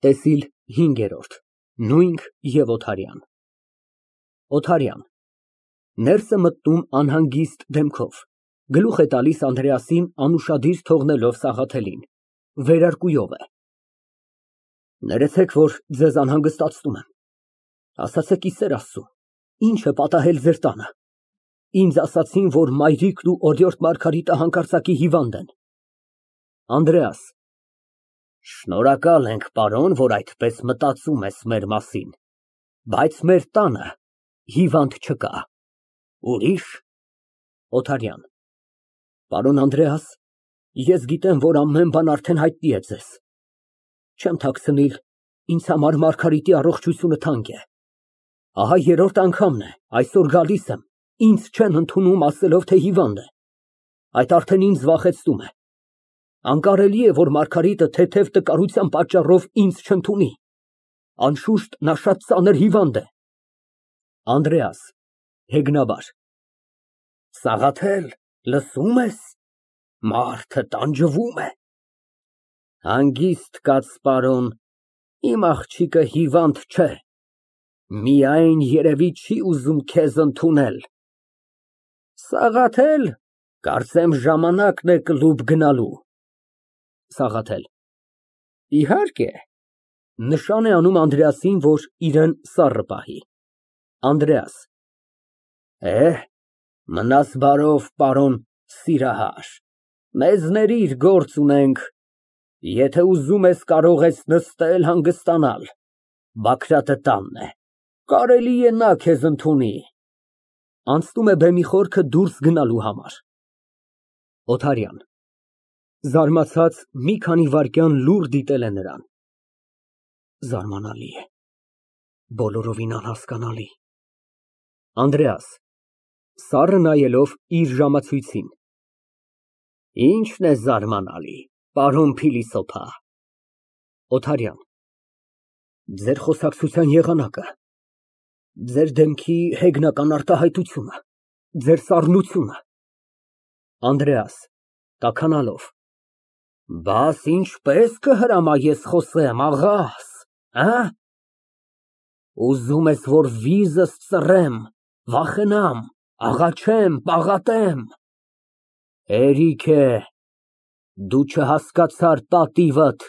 ՏԵՍԻԼ հինգ։ Նույնք և Օթարյան ՕԹԱՐՅԱՆ ֊ (Ներս է մտնում անհանգիստ դեմքով, գլուխ է տալիս Անդրեասին անուշադիր թողնելով Սաղաթելին, վերարկուով է) Ներեցեք, որ ձեզ անհանգստացնում եմ, ասացեք ի սեր Աստծո, ի՞նչ է պատահել ձեր տանը։ Ինձ ասացին, որ մայրիկն ու օրիորդ Մարգարիտը հանկարծակի հիվանդ են։ ԱՆԴՐԵԱՍ ֊ Շնորհակալ ենք, պարոն, որ այդպես մտածում ես մեր մասին, բայց մեր տանը հիվանդ չկա։ Ուրի՞շ։ ՕԹԱՐՅԱՆ ֊ Պարոն Անդրեաս, ես գիտեմ, որ ամեն բան արդեն հայտնի է ձեզ, չեմ թաքցնիլ, ինձ համար Մարգարիտի առողջությունը թանկ է։ Ահա երրորդ անգամն է այսօր գալիս եմ, ինձ չեն ընդունում, ասելով, թե հիվանդ է, այդ արդեն ինձ վախեցնում է։ Անկարելի է, որ Մարգարիտը թեթև տկարության պատճառով ինձ չընդունի, անշուշտ նա շատ ծանր հիվանդ է։ ԱՆԴՐԵԱՍ ֊ (Հեգնաբար) Սաղաթել, լսո՞ւմ ես, մարդը տանջվում է։ Հանգիստ կաց, պարոն, իմ աղջիկը հիվանդ չէ, միայն երևի չի ուզում քեզ ընդունել։ Սաղաթել, կարծեմ ժամանակն է կլուբ գնալու։ ՍԱՂԱԹԵԼ ֊ Իհարկե։ (Նշան է անում Անդրեասին, որ իրան սառը պահի)։ ԱՆԴՐԵԱՍ ֊ Մնաս բարով, պարոն սիրահար, մեզ ներիր, գործ ունենք, եթե ուզում ես, կարող ես նստել, հանգստանալ, Բագրատը տանն է, կարելի է նա քեզ ընդունի։ (Անցնում է բեմի խորքը դուրս գնալու համար)։ ՕԹԱՐՅԱՆ ֊ (Զարմացած, մի քանի վայրկյան լուռ դիտել է նրան) Զարմանալի է, բոլորովին անհասկանալի։ ԱՆԴՐԵԱՍ ֊ (Սառը նայելով իր ժամացույցին) Ի՞նչն է զարմանալի, պարոն փիլիսոփա։ ՕԹԱՐՅԱՆ ֊ Ձեր խոսակցության եղանակը, ձեր դեմքի հեգնական արտահայտությունը, ձեր սառնությունը։ ԱՆԴՐԵԱՍ ֊ (Տաքանալով) Բաս ինչպե՞ս կհրամայես խոսեմ, աղաս, ուզում ես, որ վիզս ծռեմ, վախենամ, աղաչեմ, պաղատեմ։ Հերիք է, դու չհասկացար պատիվդ,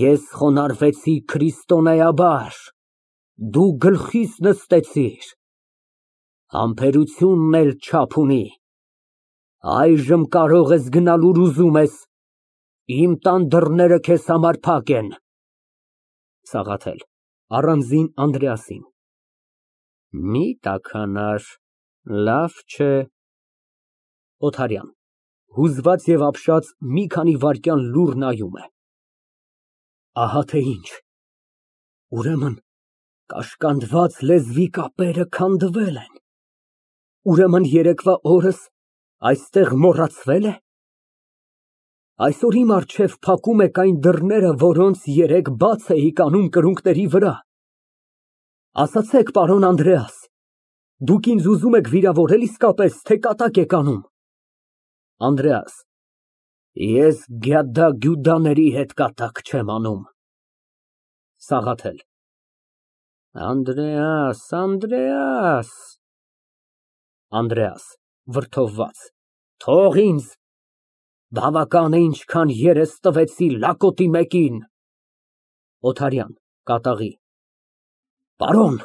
ես խոնարհվեցի քրիստոնեաբար, դու գլխիս նստեցիր, համբերությունն էլ չափ ունի, այժմ կարող ես գնալ, ուր ուզում ես, իմ տան դռները քեզ համար փակ են։ ՍԱՂԱԹԵԼ ֊ (Առանձին Անդրեասին) Մի տաքանար, լավ չէ։ ՕԹԱՐՅԱՆ ֊ (Հուզված և ապշած, մի քանի վայրկյան լուռ նայում է) Ահա թե ինչ, ուրեմն կաշկանդված լեզվի կապերը քանդվել են, ուրեմն երեկվա օրս այստեղ մոռացվե՞լ է։ Այսօր իմ առջև փակում եք այն դռները, որոնց երեկ բաց էիք անում կրունկների վրա։ Ասացեք, պարոն Անդրեաս, դուք ինձ ուզում եք վիրավորել իսկապես, թե կատակ եք անում։ ԱՆԴՐԵԱՍ ֊ Ես գյադա֊գյուդաների հետ կատակ չեմ անում։ ՍԱՂԱԹԵԼ ֊ Անդրեաս, Անդրեաս… ԱՆԴՐԵԱՍ ֊ (Վրդովված) Թող ինձ, բավական է ինչքան երես տվեցի լակոտի մեկին։ ՕԹԱՐՅԱՆ ֊ (Կատաղի) Պարոն…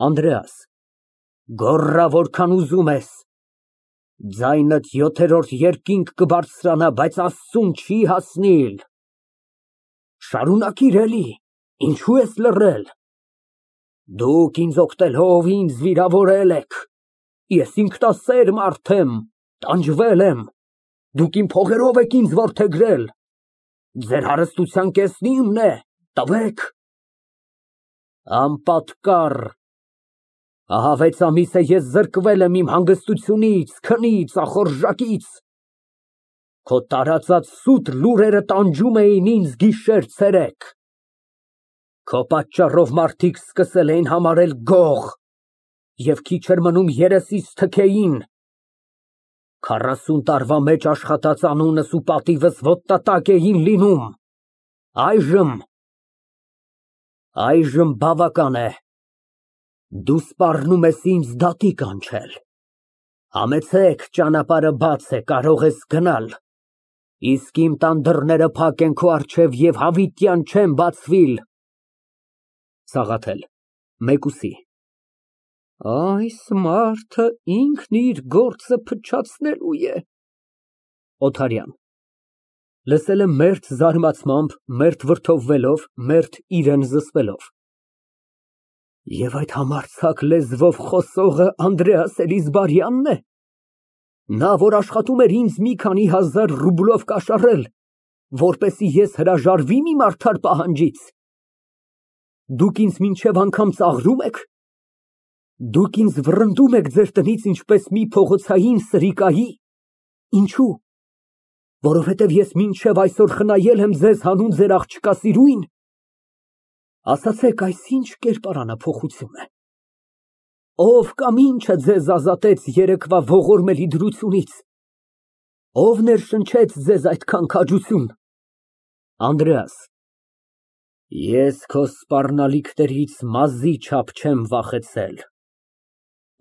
ԱՆԴՐԵԱՍ ֊ Գոռա որքան ուզում ես, ձայնդ յոթերորդ երկինք կբարձրանա, բայց Աստծուն չի հասնիլ։ Շարունակիր էլի, ինչո՞ւ ես լռել։ Դուք ինձ օգնելով ինձ վիրավորել եք, ես ինքնասեր մարդ եմ, տանջվել եմ, դուք իմ փողերով եք ինձ որդեգրել, ձեր հարստության կեսն իմն է, տվեք։ Անպատկառ, ահա 6 ամիս է ես զրկվել եմ իմ հանգստությունից, քնից, ախորժակից, քո տարածած սուտ լուրերը տանջում էին ինձ գիշեր֊ցերեկ, քո պատճառով մարդիկ սկսել էին համարել գող, և քիչ էր մնում երեսիս թքեին, 40 տարվա մեջ աշխատած անունս ու պատիվս ոտնատակ էին լինում, այժմ Այժմ բավական է։ Դու սպառնում ես ինձ դատի կանչել։ Համեցեք, ճանապարհը բաց է, կարող ես գնալ։ Իսկ իմ տան դռները փակ են քո առջև և հավիտյան չեն բացվիլ։ ՍԱՂԱԹԵԼ ֊ (Մեկուսի) Այս մարդը ինքն իր գործը փչացնելու է։ ՕԹԱՐՅԱՆ ֊ (Լսել է մերթ զարմացմամբ, մերթ վրդովվելով, մերթ իրան զսպելով) Եվ այդ համարձակ լեզվով խոսողը Անդրեաս Էլիզբարյա՞նն է։ Նա, որ աշխատում էր ինձ մի քանի հազար ռուբլով կաշառել, որպեսզի ես հրաժարվի՞մ իմ արդար պահանջից։ Դուք ինձ մինչև անգամ ծաղրո՞ւմ եք։ Դուք ինձ վռնդում եք ձեր տնից ինչպես մի փողոցային սրիկայի։ Ինչո՞ւ։ Որովհետև ես մինչև այսօր խնայել եմ ձեզ հանուն ձեր աղջկա սիրույն։ Ասացեք, այս ինչ կերպարանափոխություն է։ Ով կամ ինչը ձեզ ազատեց երեկվա ողորմելի դրությունից։ Ով ներշնչեց ձեզ այդքան քաջություն։ ԱՆԴՐԵԱՍ ֊ Ես քո սպառնալիքներից մազի չափ չեմ վախեցել։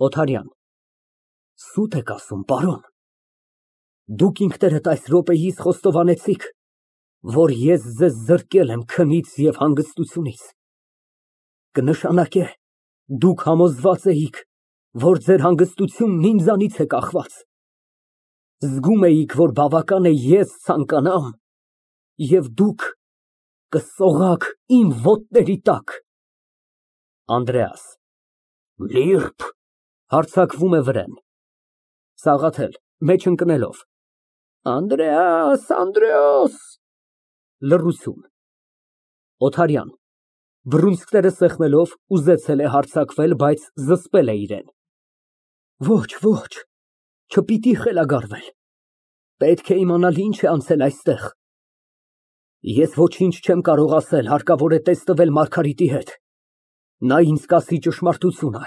ՕԹԱՐՅԱՆ ֊ Սուտ եք ասում, պարոն։ Դուք ինքներդ այս րոպեիս խոստովանեցիք, որ ես ձեզ զրկել եմ քնից և հանգստությունից։ Կնշանակե, դուք համոզված էիք, որ ձեր հանգստությունն ինձանից է կախված։ Զգում էիք, որ բավական է ես ցանկանամ, և դուք կսողաք իմ ոտների տակ։ ԱՆԴՐԵԱՍ ֊ Լիրբ, (հարձակվում է վրեն)։ ՍԱՂԱԹԵԼ ֊ (Մեջ ընկնելով) Անդրեաս, Անդրեաս։ Լռություն։ ՕԹԱՐՅԱՆ ֊ (Բռունցքները սեղմելով, ուզեցել է հարձակվել, բայց զսպել է իրեն) Ոչ, ոչ, չպիտի խելագարվել։ Պետք է իմանալ ինչ է անցել այստեղ։ Ես ոչինչ չեմ կարող ասել, հարկավոր է տեսնվել Մարգարիտի հետ։ Նա ինձ կասի ճշմարտությունը։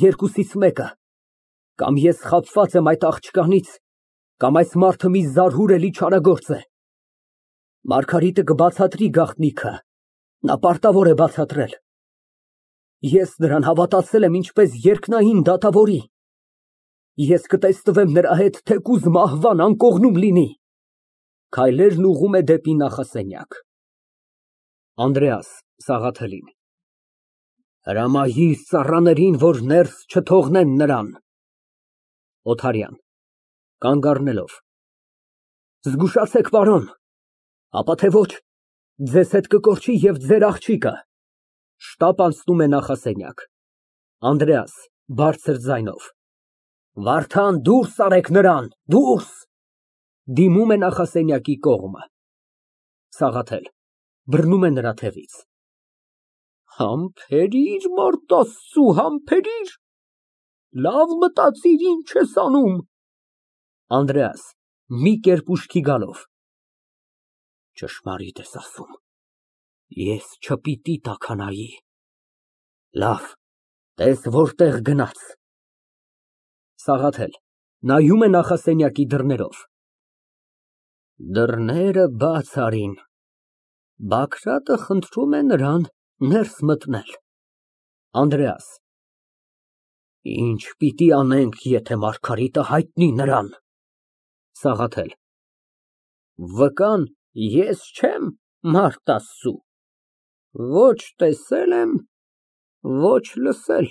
Երկուսից մեկը. կամ ես խաբված եմ այդ աղջկանից, կամ այս մարդը մի զարհուրելի չարագործ է։ Մարգարիտը կբացատրի գաղտնիքը, նա պարտավոր է բացատրել։ Ես նրան հավատացել եմ ինչպես երկնային դատավորի։ Ես կտեսնվեմ նրա հետ թեկուզ մահվան անկողնում լինի։ (Քայլերն ուղղում է դեպի նախասենյակ)։ ԱՆԴՐԵԱՍ ֊ (Սաղաթելին) Հրամայիր ծառաներին, որ ներս չթողնեն նրան։ ՕԹԱՐՅԱՆ ֊ (Կանգ առնելով) Զգուշացեք, պարոն, ապա թե ոչ, ձեզ հետ կկորչի և ձեր աղջիկը։ (Շտապ անցնում է նախասենյակ)։ ԱՆԴՐԵԱՍ ֊ (Բարձր ձայնով) Վարդան, դուրս արեք նրան, դուրս։ (Դիմում է նախասենյակի կողմը)։ ՍԱՂԱԹԵԼ ֊ (Բռնում է նրա թևից) Համբերիր, մարդ Աստծու, համբերիր, լավ մտածիր ինչ ես անում։ ԱՆԴՐԵԱՍ ֊ (Մի կերպ ուշքի գալով) Ճշմարիտ ես ասում, ես չպիտի տաքանայի։ Լավ, տես որտեղ գնաց։ ՍԱՂԱԹԵԼ ֊ (Նայում է նախասենյակի դռներով) Դռները բաց արին։ Բագրատը խնդրում է նրան ներս մտնել։ ԱՆԴՐԵԱՍ ֊ Ինչ պիտի անենք, եթե Մարգարիտը հայտնի նրան։ ՍԱՂԱԹԵԼ ֊ Վկան ես չեմ, մարդ Աստծու, ոչ տեսել եմ, ոչ լսել։